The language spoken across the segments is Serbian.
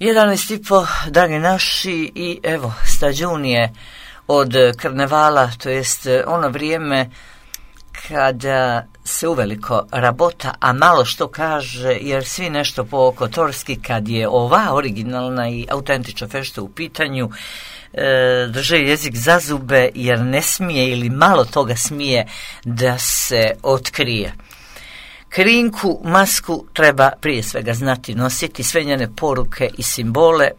11:30, dragi naši, i evo, stađun je od karnevala, to jest ono vrijeme kada se uveliko rabota, a malo što kaže, jer svi nešto po kotorski, kad je ova originalna i autentična fešta u pitanju, drže jezik za zube, jer ne smije ili malo toga smije da se otkrije. Krinku, masku treba prije svega znati nositi, sve njene poruke i simbole,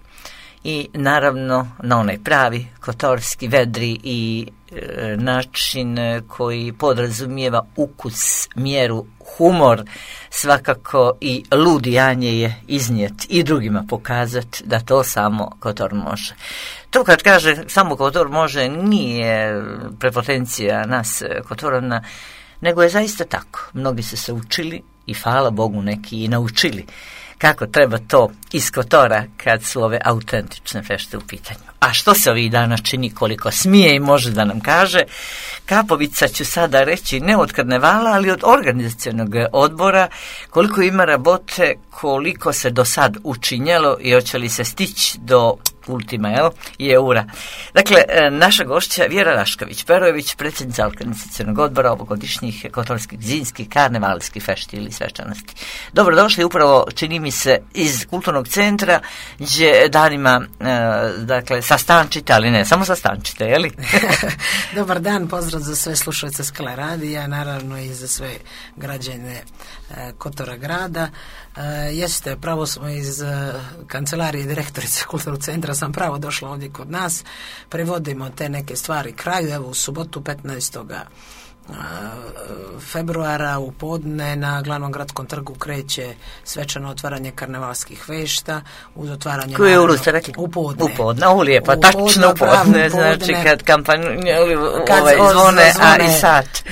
i naravno na onaj pravi kotorski, vedri i način koji podrazumijeva ukus, mjeru, humor, svakako i ludijanje je iznijeti i drugima pokazati da to samo kotor može. To kad kaže samo kotor može, nije prepotencija nas kotorana, nego je zaista tako. Mnogi su se učili i hvala Bogu neki i naučili kako treba to iz kotora kad su ove autentične fešte u pitanju. A što se ovih dana čini, koliko smije i može da nam kaže, Kapovica ću sada reći ne od karnevala, ali od organizacionog odbora, koliko ima rabote, koliko se do sad učinjelo i hoće li se stići do ultima, i eura. Dakle, naša gošća Vjera Rašković-Perojević, predsjednica organizacionog odbora ovogodišnjih kotorskih zimskih karnevalskih fešti ili svečanosti. Dobrodošli upravo, čini mi se, iz kulturnog centra, gdje danima, dakle, sastančite, ali ne samo sastančite, je li? Dobar dan, pozdrav za sve slušalce Skala radija, naravno i za sve građane Kotora grada. Jeste, pravo smo iz kancelarije direktorice kulturnog centra, sam pravo došla ovdje kod nas, prevodimo te neke stvari kraju. Evo, u subotu 15. februara u podne na glavnom gradskom trgu kreće svečano otvaranje karnevalskih fešta uz otvaranje koje uru ste rekli? U podne. U podne, lijepa, tačno u podne, znači kad kampanje zvone, a i sat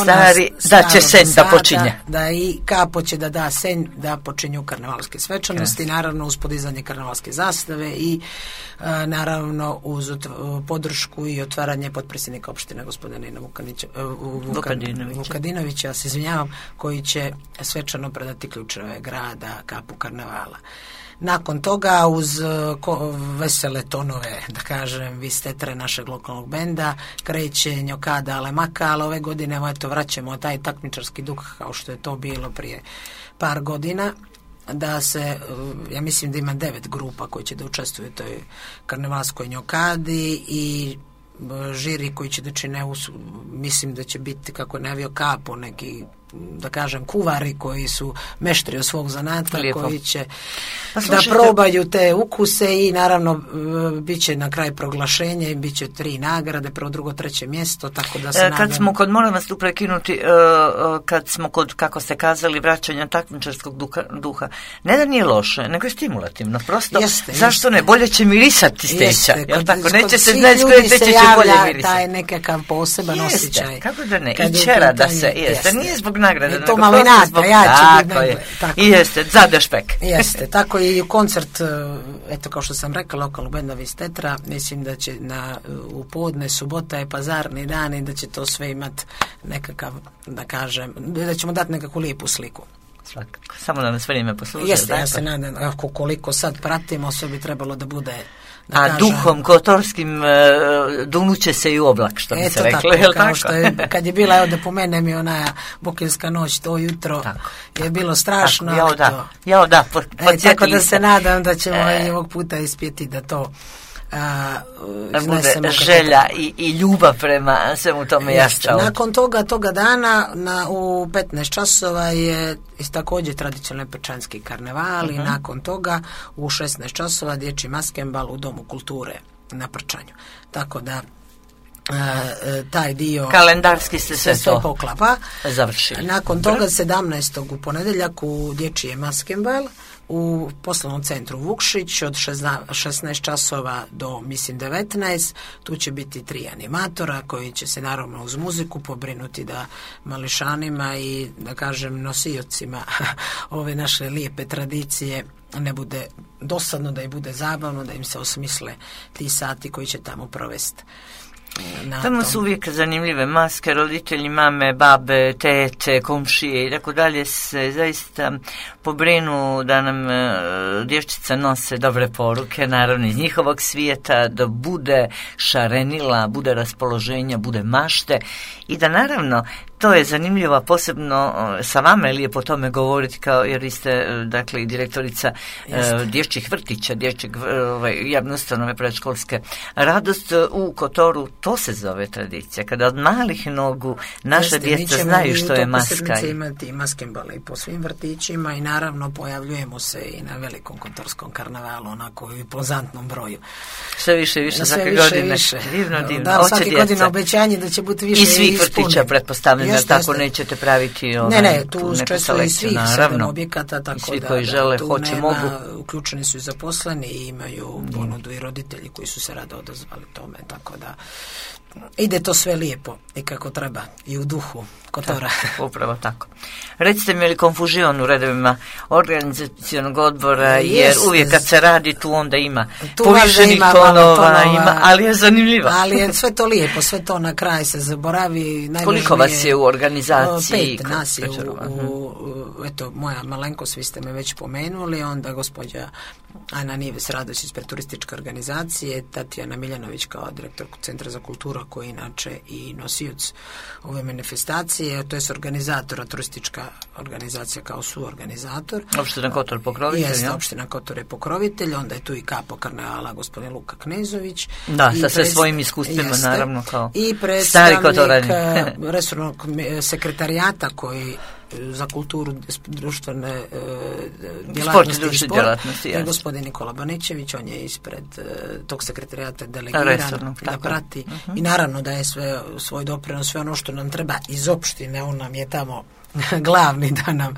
stari, da će sen da počinje. Da i kapo će da da sen da počinju karnevalske svečanosti, naravno uz podizanje karnevalske zastave i naravno uz podršku i otvaranje potpredsjednika opštine gospodina Nina Vukadinovića, se izvinjavam, koji će svečano predati ključeve grada kapu karnevala. Nakon toga, uz vesele tonove, da kažem, vistetre našeg lokalnog benda, kreće njokada Alemaka, ali ove godine vraćamo taj takmičarski duh kao što je to bilo prije par godina, da se, ja mislim da ima 9 grupa koji će da učestvuju u toj karnevalskoj njokadi i žiri koji će da čine, mislim da će biti, kako je najavio Kapo, neki, da kažem, kuvari koji su meštri od svog zanata, koji će da probaju te ukuse i naravno bit će na kraj proglašenje i bit će 3 nagrade, prvo, drugo, treće mjesto, tako da se nadam. Kad smo kod, moram vas tu prekinuti, kad smo kod, kako ste kazali, vraćanja takmičarskog duha, ne da nije loše, nego je stimulativno, prosto, zašto ne, bolje će mirisati steća, jel tako, neće se znati s koje steće će bolje mirisati. Taj nekakav poseban osjećaj. Kako da ne, i čera da se, jeste, nije zbog nagrade, to malo inata, ja ću biti nagrade. I jeste, za dešpek. Jeste, tako i koncert, eto kao što sam rekla, lokalnog benda Vistetra, mislim da će u podne, subota je pazarni dan i da će to sve imati nekakav, da kažem, da ćemo dati nekakvu lijepu sliku. Svakako, samo da nas vrijeme posluže. Jeste, ja se nadam, koliko sad pratimo, sve bi trebalo da bude, da kažem, duhom kotorskim dunuće se i u oblak, što bi se reklo. Eto tako, kao što je, kad je bila, evo da pomenem i ona Bokilska noć, to jutro je bilo strašno. Tako da se nadam da ćemo i ovog puta ispjeti da to bude želja i ljubav prema svemu tome jašća. Nakon toga dana u 15 časova je također tradicionalni pečanski karneval i nakon toga u 16 časova dječji maskembal u Domu kulture na Prčanju. Tako da taj dio kalendarski se sve to poklapa. Završili. Nakon toga 17. u ponedjeljak u dječji maskembal u poslovnom centru Vukšić od 16 časova do, mislim, 19. Tu će biti 3 animatora koji će se naravno uz muziku pobrinuti da mališanima i, da kažem, nosiocima ove naše lijepe tradicije ne bude dosadno, da im bude zabavno, da im se osmisle ti sati koji će tamo provesti. Tamo su uvijek zanimljive maske, roditelji, mame, babe, tete, komšije i tako dalje se zaista pobrinu da nam djevčica nose dobre poruke, naravno iz njihovog svijeta, da bude šarenila, bude raspoloženja, bude mašte i da naravno to je zanimljivo, posebno sa vama je lijepo o tome govoriti, kao jer vi ste, dakle, direktorica dječjih vrtića, dječjeg javne ustanove predškolske. Radost u Kotoru, to se zove tradicija. Kada od malih nogu naša djeca znaju što je maska. Mi ćemo imati maskembale i po svim vrtićima i naravno pojavljujemo se i na velikom kotorskom karnevalu, onako u impozantnom broju. Sve više, svake godine. Divno. Da, svake godine obećanje da će biti više i svih vrtića, pretpostavljam. Tako nećete praviti ne, tu često i svih 7 objekata, tako svi da koji žele, tu hoće, nema, mogu. Uključeni su i zaposleni i imaju ponudu i roditelji koji su se rado odazvali tome, tako da ide to sve lijepo i kako treba i u duhu Kotora. Tako, upravo tako. Recite mi, je li konfuzion u redovima organizacionog odbora, jer uvijek kad se radi tu onda ima povišenih tonova, ali je zanimljivo. Ali je sve to lijepo, sve to na kraj se zaboravi. Koliko vas je u organizaciji? 5 nas je eto, moja malenkost, vi ste me već pomenuli, onda gospođa Ana Nives Radović ispred turističke organizacije, Tatjana Miljanović kao direktor Centra za kulturu, koji je inače i nosioc ove manifestacije, to je organizatora, turistička organizacija kao suorganizator. Opština Kotor pokrovitelj. Jeste, opština Kotor je pokrovitelj, onda je tu i kapo karnevala gospodin Luka Knezović. Da, sa sve svojim iskustvima, naravno, kao i stari Kotorani. resornog sekretarijata koji za kulturu, društvene djelatnosti i sport, je gospodin Nikola Banićević, on je ispred tog sekretarijata delegiran da prati i naravno da je sve svoj doprinos, sve ono što nam treba iz opštine, on nam je tamo glavni da nam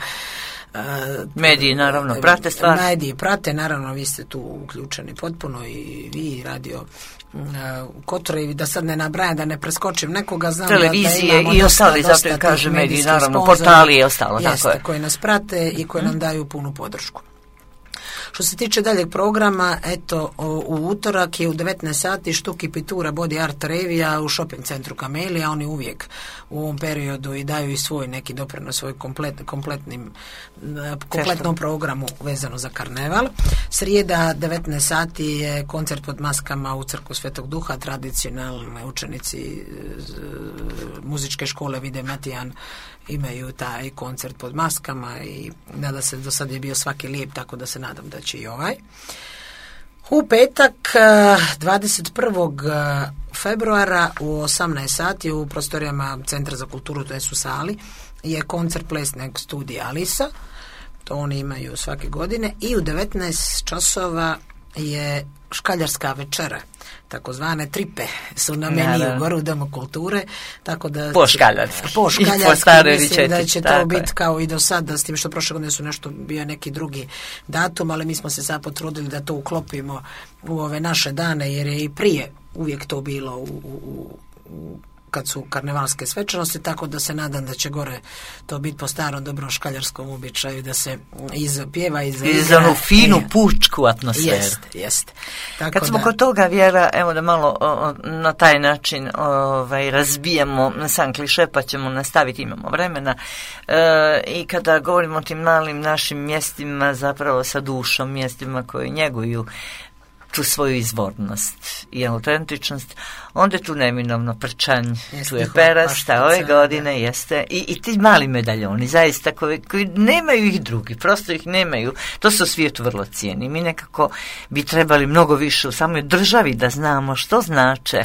mediji naravno prate stvar. Mediji prate, naravno vi ste tu uključeni potpuno i vi radio u Kotoru, da sad ne nabrajam, da ne preskočim nekoga, znam televizije da i ostali, zato kaže mediji, naravno portali i ostalo, jeste, tako je. Koji nas prate i koji nam daju punu podršku. Što se tiče daljeg programa, eto, u utorak je u 19 sati Štuki Pitura Body Art Revija u shopping centru Kamelija. Oni uvijek u ovom periodu i daju i svoj neki doprinos svoj kompletnom programu vezano za karneval. Srijeda 19 sati je koncert pod maskama u Crkvu Svetog Duha, tradicionalni učenici muzičke škole Vide Matijan imaju taj koncert pod maskama i nada se, do sad je bio svaki lijep, tako da se nadam da će i ovaj. U petak 21. februara u 18 sati u prostorijama Centra za kulturu, to je u sali, je koncert plesnog studija Alisa, to oni imaju svake godine, i u 19 časova je škaljarska večera, takozvane tripe su na meniju gore u Domu kulture, tako da po škaljarski mislim da će to biti kao i do sada, s tim što prošle godine su nešto bio neki drugi datum, ali mi smo se sad potrudili da to uklopimo u ove naše dane, jer je i prije uvijek to bilo kad su karnevalske svečanosti, tako da se nadam da će gore to biti po starom dobrom škaljarskom običaju, da se pjeva i za onu finu pučku atmosferu. Jeste. Kad smo kod toga, Vjera, evo da malo na taj način razbijamo sam kliše, pa ćemo nastaviti, imamo vremena, i kada govorimo o tim malim našim mjestima, zapravo sa dušom, mjestima koje njeguju tu svoju izvornost i autentičnost, onda je tu neminovno Prčanj, tu je Perasta, ove godine jeste i ti mali medaljoni, zaista koji nemaju ih drugi, prosto ih nemaju, to se u svijetu vrlo cijeni. Mi nekako bi trebali mnogo više u samoj državi da znamo što znače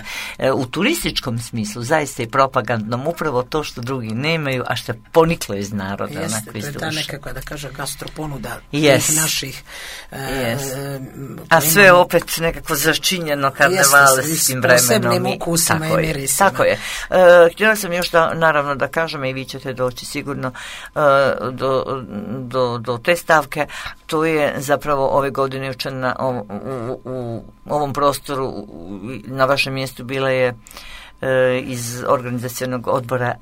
u turističkom smislu, zaista i propagandnom, upravo to što drugi nemaju, a što je poniklo iz naroda. Jeste, to je ta nekakva, da kaže, gastroponuda tih naših a sve opet nekako začinjeno karnevalskim vremenom. Ukusima i mirisima. Tako je. Htjela sam još naravno da kažem, i vi ćete doći sigurno do te stavke, to je zapravo ove godine u ovom prostoru na vašem mjestu bila je iz organizacionog odbora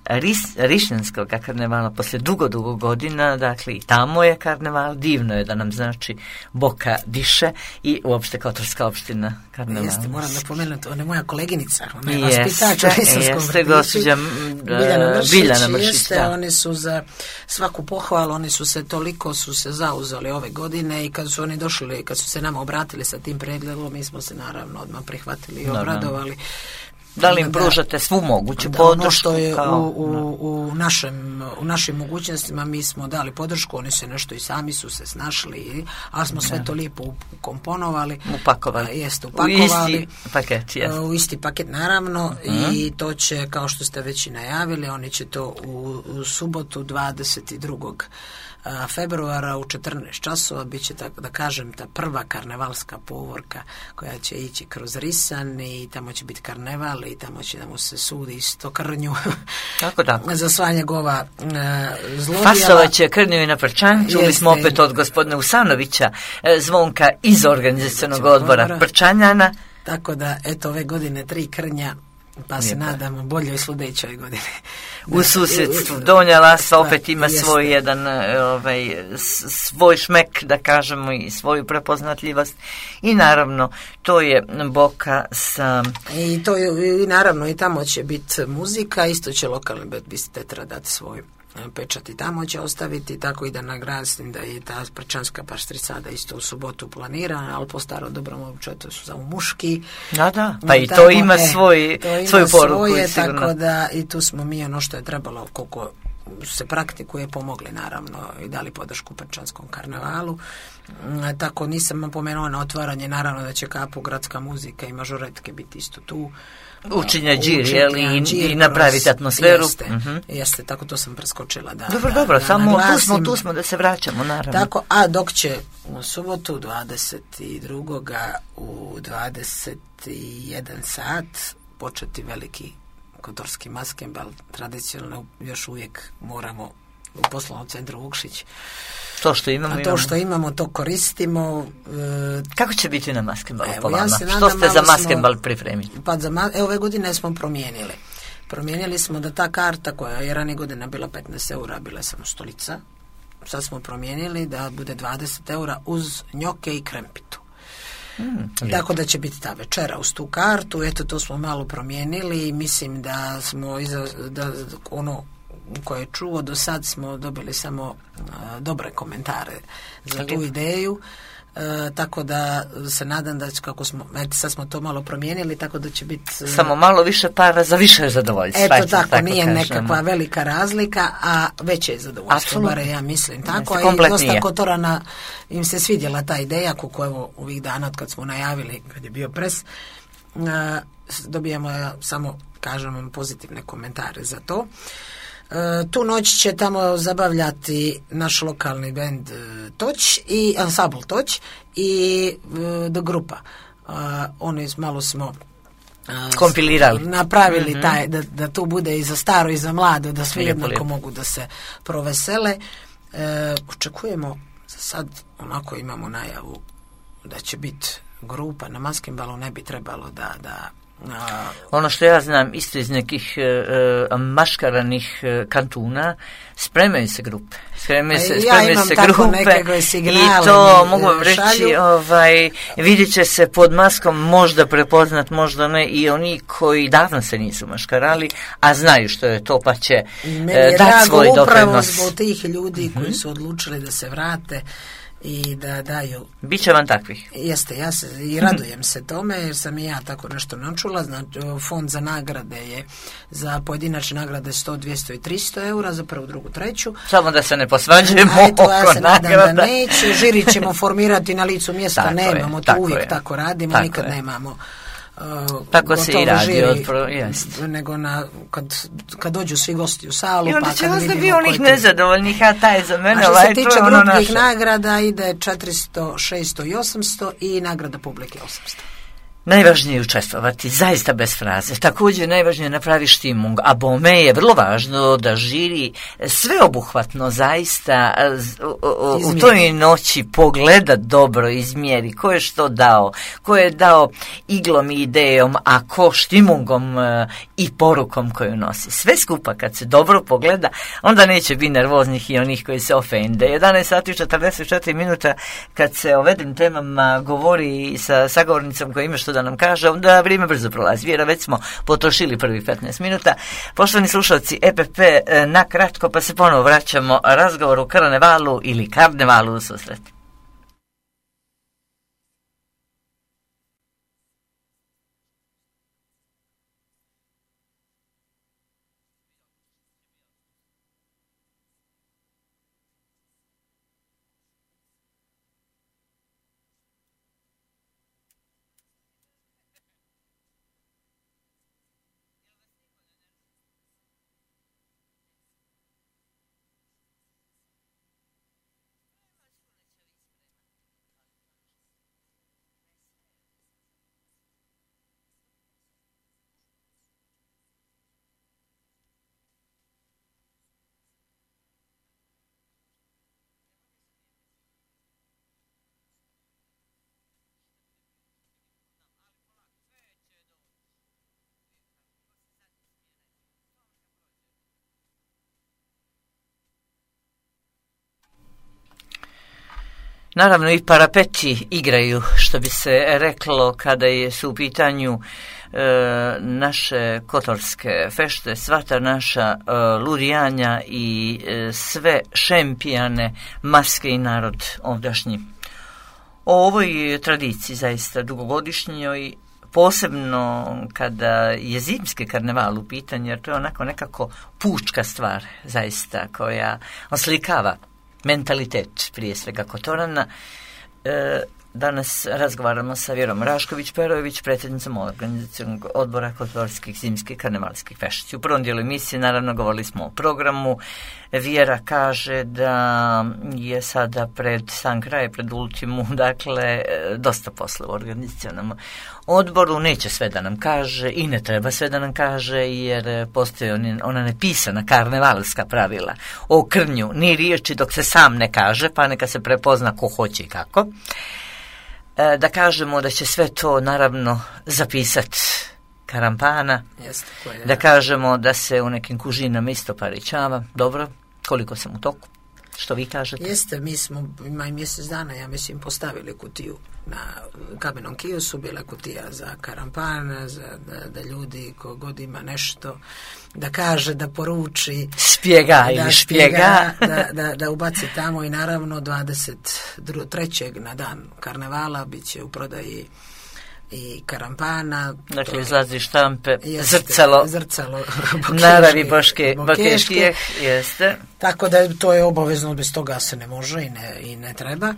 Rišnjanskog karnevala poslije dugo godina, dakle i tamo je karneval, divno je da nam znači Boka diše i uopšte Kotorska opština karnevala. Jeste, moram da pomenuti, ona je moja koleginica, ona je vaspitač u Risanskom vrtiću. Gospođa Biljana Mršić. Jeste, oni su za svaku pohvalu, oni su se toliko zauzeli ove godine i kad su oni došli, kad su se nama obratili sa tim predlogom, mi smo se naravno odmah prihvatili i obradovali. Da li im pružate svu moguću podršku? Ono što je u našim mogućnostima mi smo dali podršku, oni se nešto i sami su se snašli, ali smo sve to lijepo ukomponovali. Upakovali. Jeste, upakovali. U isti paket, jest. U isti paket, naravno, i to će, kao što ste već i najavili, oni će to u subotu 22. februara u 14 časova bit će, tako da kažem, ta prva karnevalska povorka koja će ići kroz Risan i tamo će biti karneval i tamo će da mu se sudi isto krnju za sva njegova zlodjela. Fasovat će krnju i na Prčan. Čuli smo opet od gospodina Usanovića Zvonka iz organizacionog odbora Prčanjana. Tako da, eto, ove godine 3 krnja, pa se nadamo boljoj sludećoj godine. U susjedstvu Donja Lasa opet ima svoj jedan svoj šmek, da kažemo, i svoju prepoznatljivost i naravno to je Boka sa... I to je, i naravno i tamo će biti muzika, isto će lokalni Tetra dati svoj pečat i tamo će ostaviti, tako i da nagradim da je ta prčanska paštricada isto u subotu planirana, ali po starom dobrom običaju to su samo muški. Da, pa i to ima svoju poruku. Tako da i tu smo mi ono što je trebalo, koliko se praktikuje, pomogli naravno i dali podršku Prčanskom karnevalu. Tako nisam pomenuo na otvaranje, naravno da će Kapu gradska muzika i mažoretke biti isto tu. Učinja džir, i napraviti atmosferu. Jeste, tako to sam preskočila. Dobro, samo tu smo da se vraćamo, naravno. Tako, a dok će u subotu 22. u 21 sat početi veliki kotorski maskembal, tradicionalno još uvijek moramo u poslovnom centru Vukšić. To što imamo, to koristimo. Kako će biti na maskembalu po vama? Što ste za maskembal pripremili? Ove godine smo promijenili. Promijenili smo da ta karta koja je ranije godina bila 15 eura, bila je samo stolica. Sad smo promijenili da bude 20 eura uz njoke i krempitu. Tako da će biti ta večera uz tu kartu. Eto, to smo malo promijenili i mislim da smo ono koje je čuo do sad smo dobili samo dobre komentare za tu ideju. Tako da se nadam da kako smo, sad smo to malo promijenili, tako da će biti samo malo više para za više zadovoljstva. Eto tako nije nekakva velika razlika, a veće je zadovoljstvo, bar ja mislim tako. I dosta Kotorana im se svidjela ta ideja, kako evo ovih dana od kad smo najavili, kad je bio pres, dobijamo samo, kažem, pozitivne komentare za to. Tu noć će tamo zabavljati naš lokalni bend Toć i ansambl Toć i The Grupa. Oni malo smo kompilirali, napravili taj, da tu bude i za staro i za mlado, da svi jednako mogu da se provesele. Očekujemo, za sad onako imamo najavu da će biti grupa na maskembalu, ne bi trebalo da ono što ja znam isto iz nekih maškaranih kantuna, spremaju se grupe. Spremaju se grupe i to mogu vam reći, vidjet će se pod maskom možda prepoznat, možda ne, i oni koji davno se nisu maškarali, a znaju što je to, pa će dati svoj doprinos. Upravo zbog tih ljudi koji su odlučili da se vrate i da daju. Biće vam takvih? Jeste, ja se i radujem se tome, jer sam i ja tako nešto načula. Znači, fond za nagrade je za pojedinačne nagrade 100, 200 i 300 eura za prvu, drugu, treću. Samo da se ne posvađujemo oko nagrada. Ja se nadam da neće. Žiri ćemo formirati na licu mjesta, nemamo to uvijek tako radimo, nikad nemamo. Tako se i radi nego kad dođu svi gosti u salu, i onda će ostati onih nezadovoljnih, a taj za mene. A što se tiče grupnih nagrada ide 400, 600 i 800 i nagrada publike 800. Najvažnije je učestvovati, zaista bez fraze. Također najvažnije je napravi štimung, a bome je vrlo važno da žiri sveobuhvatno zaista u toj noći pogleda dobro, izmjeri ko je što dao, ko je dao iglom i idejom, a ko štimungom i porukom koju nosi. Sve skupa kad se dobro pogleda, onda neće biti nervoznih i onih koji se ofende. 11 sati i 44 minuta kad se o ovim temama govori sa sagovornicom koja ima što da nam kaže, onda vrijeme brzo prolazi. Vjera, već smo potrošili prvih 15 minuta. Poštovani slušalci EPP, na kratko pa se ponovo vraćamo razgovoru o karnevalu ili karnevalu u susret. Naravno i parapeti igraju, što bi se reklo kada su u pitanju naše kotorske fešte, sva ta naša lurijanja i sve šempijane maske i narod ovdašnji. O ovoj tradiciji zaista dugogodišnjoj, posebno kada je zimski karneval u pitanju, jer to je onako nekako pučka stvar zaista koja oslikava mentalitet prije svega Kotorana. Danas razgovaramo sa Vjerom Rašković-Perović, predsjednicom organizacionog odbora kotorskih zimskih karnevalskih fešti. U prvom dijelu emisije naravno govorili smo o programu. Vjera kaže da je sada pred sam kraj, pred ultimu, dakle dosta posla u organizacionom odboru. Neće sve da nam kaže i ne treba sve da nam kaže, jer postoje ona nepisana karnevalska pravila o krnju, ni riječi dok se sam ne kaže, pa neka se prepozna ko hoće i kako. Da kažemo da će sve to naravno zapisati Karampana, da kažemo da se u nekim kužinama isto paričava. Dobro, koliko sam u toku? Što vi kažete? Jeste, mi smo, ima i mjesec dana, ja mislim, postavili kutiju na kamenom kiosu, bila kutija za Karampana, da ljudi kogod ima nešto da kaže, da poruči, spjega ili špjega, da ubaci tamo. I naravno 23. na dan karnevala bit će u prodaji i Karampana. Dakle, izlazi štampe, zrcalo naravi Bokeškije, jeste. Tako da to je obavezno, bez toga se ne može i ne treba.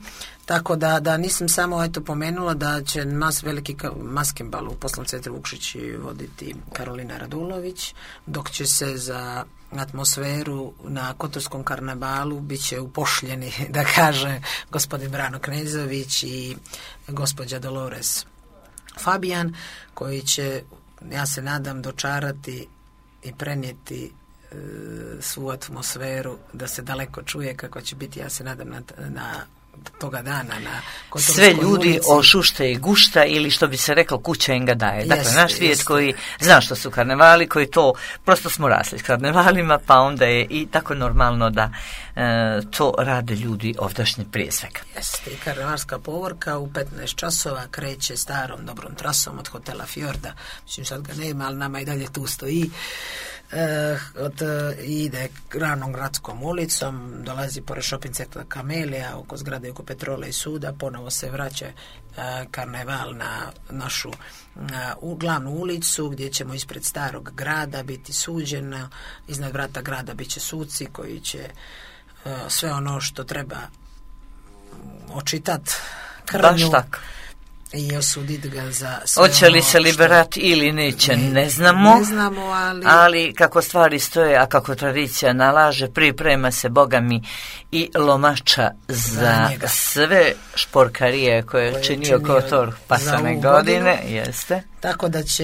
Tako da nisam samo pomenula da će veliki maskembal u poslovnom centru Vukšić voditi Karolina Radulović, dok će se za atmosferu na Kotorskom karnevalu bit će upošljeni, da kaže, gospodin Brano Knezović i gospođa Dolores Fabijan, koji će, ja se nadam, dočarati i prenijeti svu atmosferu da se daleko čuje kako će biti, ja se nadam, na toga dana na Kotorskoj sve ljudi ulici. Ošušte i gušta, ili što bi se reklo kuća im ga daje. Dakle, naš svijet koji zna što su karnevali, koji to, prosto smo rasli s karnevalima, pa onda je i tako normalno da to rade ljudi ovdašnji prije svega. Jeste, i karnevalska povorka u 15 časova kreće starom dobrom trasom od hotela Fjorda. Mislim, sad ga nema, ali nama i dalje tu stoji. Ide Ranom gradskom ulicom, dolazi pored shopping centra Kamelija, oko zgrade oko Petrola i suda, ponovo se vraća karneval na našu glavnu ulicu, gdje ćemo ispred starog grada biti suđeno, iznad vrata grada bit će suci koji će sve ono što treba očitat krnju i osuditi ga za sve. Hoće li se liberati ili neće, ne znamo, ali kako stvari stoje, a kako tradicija nalaže, priprema se, Boga mi, i lomača za sve šporkarije koje je činio Kotor pasane godine. Jeste. Tako da će,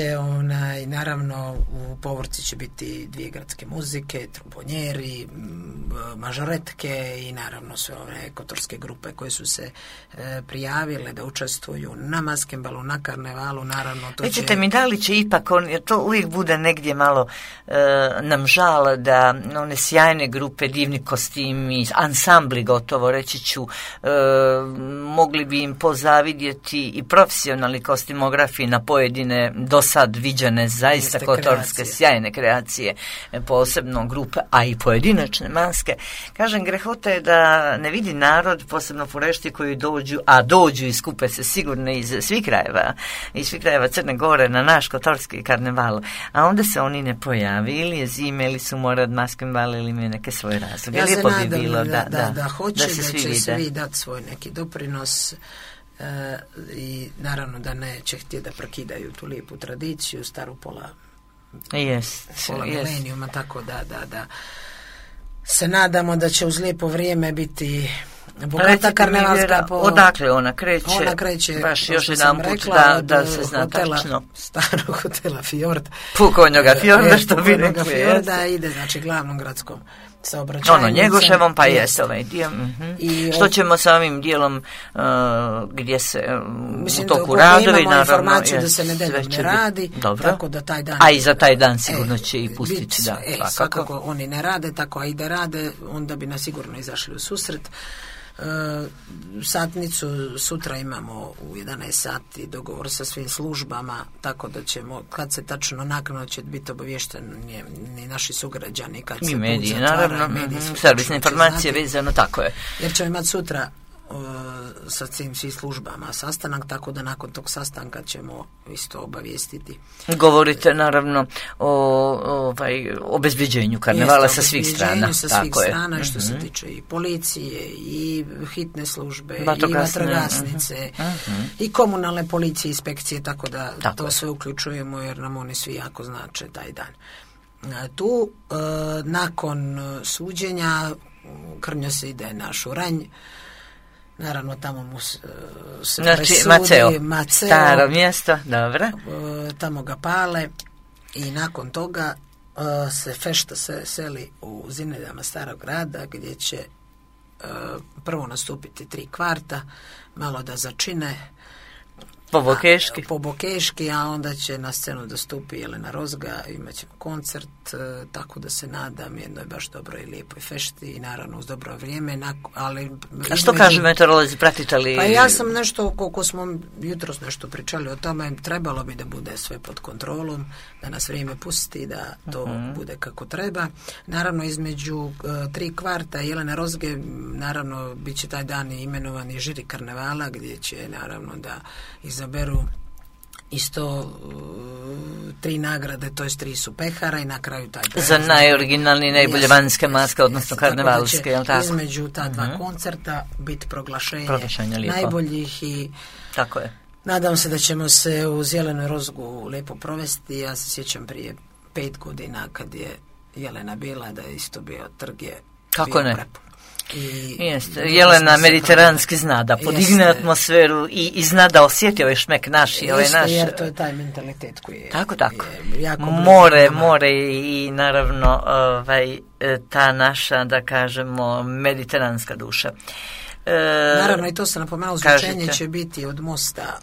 naravno, u povorci će biti 2 gradske muzike, trombonjeri, mažoretke i naravno sve ove kotorske grupe koje su se prijavile da učestvuju na maskembalu, na karnevalu, naravno. Vidite mi, da li će ipak, to uvijek bude negdje malo nam žal da one sjajne grupe, divni kostimi, ansambli gotovo, reći ću, mogli bi im pozavidjeti i profesionalni kostimografi na pojedine do sad viđene zaista kotorske sjajne kreacije, posebno grupe, a i pojedinačne maske. Kažem, grehota je da ne vidi narod, posebno Furešti koji dođu i skupe se sigurno iz svih krajeva Crne Gore na naš kotorski karneval, a onda se oni ne pojavi, ili je zime, ili su morad maskembal, ili imaju neke svoje razloge. Ja se nadam da hoće, da će svi dati svoj neki doprinos. I naravno da neće htjeti da prekidaju tu lijepu tradiciju, staru pola milenijuma, tako da se nadamo da će uz lijepo vrijeme biti bogata karnevalska. Odakle ona kreće? Baš još jedan put da se zna tačno. Starog hotela Fjord. Pukonjoga Fjorda, što bi rekli. Fjorda ide, znači, glavnom gradskom saobraćajnicom. Njegoševom, pa jeste ovaj dio. Što ćemo sa ovim dijelom gdje se u toku radovi, naravno, informaciju da se nedeljom ne radi, tako da taj dan... A i za taj dan sigurno će i pustiti, svakako oni ne rade, tako a i da rade, onda bi nas sigurno izašli u susret. Satnicu sutra imamo u 11 sati, dogovor sa svim službama, tako da ćemo, kad se tačno naknadno će biti obavješteni ni naši sugrađani, kad se mediji, naravno, servisne informacije vezano, tako je. Jer ćemo imati sutra sa svim službama sastanak, tako da nakon tog sastanka ćemo isto obavijestiti. Govorite naravno o obezbeđenju karnevala sa svih strana. Sa svih strana, i što se tiče i policije, i hitne službe, i vatrogasnice, i komunalne policije, inspekcije, tako da to sve uključujemo, jer nam oni svi jako znače taj dan. Tu, nakon suđenja, Krnjo se ide na Šuranj. Naravno, tamo mu se presudi Maceo, staro mjesto, dobro. Tamo ga pale i nakon toga se fešta se seli u zinedama starog grada, gdje će prvo nastupiti 3 kvarta, malo da začine po Bokeški, a onda će na scenu da stupi Jelena Rozga, imat ćemo koncert, tako da se nadam jednoj baš dobroj i lijepoj fešti i naravno uz dobro vrijeme. A što kažu meteorolozi, pratite li? Pa ja sam nešto, koliko smo jutros nešto pričali o tome, trebalo bi da bude sve pod kontrolom, da nas vrijeme pusti, da to bude kako treba. Naravno, između 3 kvarta Jelene Rozge, naravno, bit će taj dan imenovani žiri karnevala, gdje će naravno da izaberu isto 3 nagrade, to je 3 su pehara i na kraju taj za najoriginalniji, najbolje vanjske maske, odnosno karnevalske, jel tako? Između ta 2 koncerta biti proglašenje najboljih i tako je. Nadam se da ćemo se uz Jelenu Rozgu lijepo provesti. Ja se sjećam prije 5 godina kad je Jelena bila, da je isto bio trg, je kako ne? Prepun. Jelena mediteranski zna da podigne atmosferu i zna da osjeti ovaj šmek naš i ovaj naš. Jer to je taj mentalitet koji je tako. Je jako more i naravno ta naša, da kažemo, mediteranska duša. Naravno, i to se napomenuo, zvučenje će biti od mosta,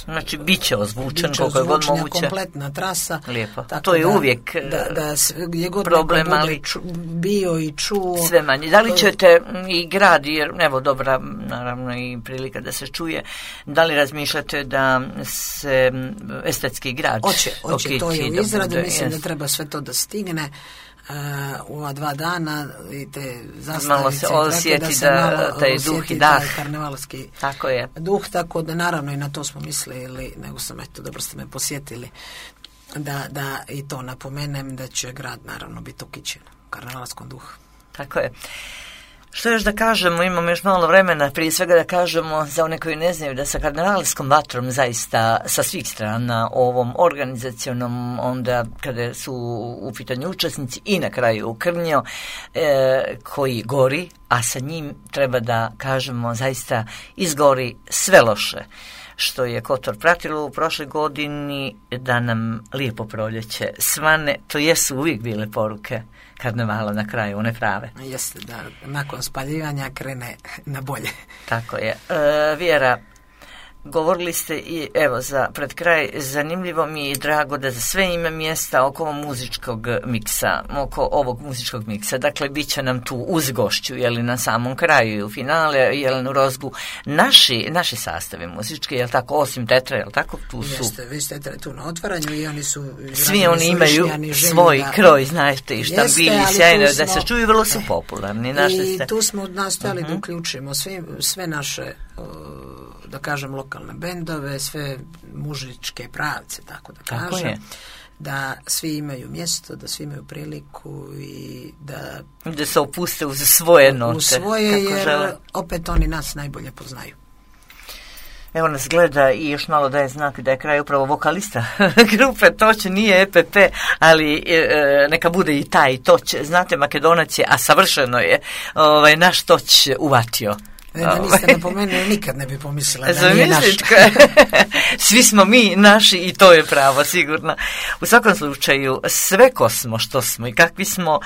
znači bit će ozvučen koliko je god moguće, kompletna trasa. Lijepo, to je uvijek da je god problem, ali bio i čuo sve manje. Da li ćete i grad, jer evo dobra naravno i prilika da se čuje, da li razmišljate da se estetski grad Hoće, to je u izradi, mislim da treba sve to da stigne u ova 2 dana i te zastavice, malo se osjeti da taj duh i dah, karnevalski tako je. Duh, tako da naravno i na to smo mislili, nego sam, dobro ste me posjetili, da i to napomenem, da će grad naravno biti ukićen u karnevalskom duhu. Tako je. Što još da kažemo, imamo još malo vremena, prije svega da kažemo za one koji ne znaju da sa karnevalskom vatrom zaista sa svih strana ovom organizacionom, onda kada su u pitanju učesnici i na kraju Krnjo koji gori, a sa njim treba da kažemo zaista izgori sve loše što je Kotor pratilo u prošloj godini, da nam lijepo proljeće svane, to jesu uvijek bile poruke karnevala na kraju, one prave. Jeste, da nakon spaljivanja krene na bolje. Tako je. Vjera, govorili ste i evo za pred kraj, zanimljivo mi je i drago da za sve ima mjesta oko ovog muzičkog miksa. Dakle, bit će nam tu uz gošću, jeli na samom kraju i u finale, Jelenu Rozgu, naši sastavi muzički, jel tako, osim Tetra, jel tako, tu su. Jeste, vi ste tu na otvaranju i oni su. Svi oni imaju svoj kroj, znate, i štabili sjajno, da se čuju, vrlo su popularni. I tu smo nastojali da uključimo sve naše, da kažem, lokalne bendove, sve mužičke pravce, tako da kažem. Je. Da svi imaju mjesto, da svi imaju priliku i da se opuste uz svoje note. U svoje, jer opet oni nas najbolje poznaju. Evo nas gleda i još malo daje znak da je kraj upravo vokalista grupe Toć, nije EPP, ali neka bude i taj Toć. Znate, Makedonac je, a savršeno je naš Toć uvatio. Da niste napomenuli, nikad ne bi pomislila da nije naš. Svi smo mi naši i to je pravo, sigurno. U svakom slučaju, sve ko smo, što smo i kakvi smo,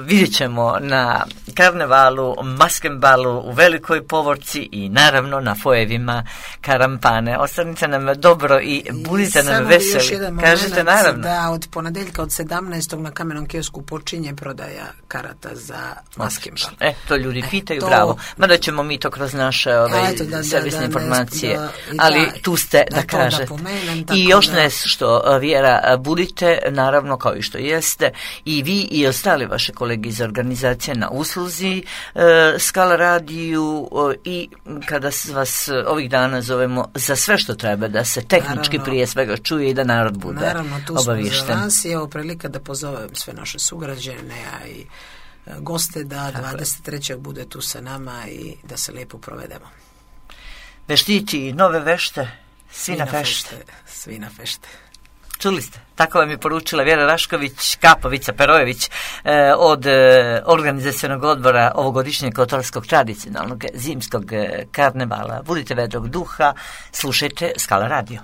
vidjet ćemo na karnevalu, Maskenbalu, u Velikoj Povorci i naravno na fojevima Karampane. Ostanite nam dobro i budite nam veseli. Kažete naravno. Da od ponedeljka od 17. na Kamenom kiosku počinje prodaja karata za Maskenbal. To ljudi pitaju, bravo. Mada ćemo mi to kroz naše servisne informacije, ali tu ste da kaže. I još nešto, Vjera, budite, naravno, kao i što jeste, i vi i ostali vaše kolege iz organizacije na usluzi Skala radiju i kada vas ovih dana zovemo za sve što treba da se tehnički prije svega čuje i da narod bude obaviješten. Naravno, tu smo za vas i evo prilika da pozovem sve naše sugrađane, a i goste da 23. bude tu sa nama i da se lijepo provedemo. Veštići, nove vešte, svi na fešte. Svi na fešte. Čuli ste? Tako vam je poručila Vjera Rašković, Kapovica Perojević od organizacionog odbora ovogodišnjeg kotorskog tradicionalnog zimskog karnevala. Budite vedrog duha, slušajte Skala radio.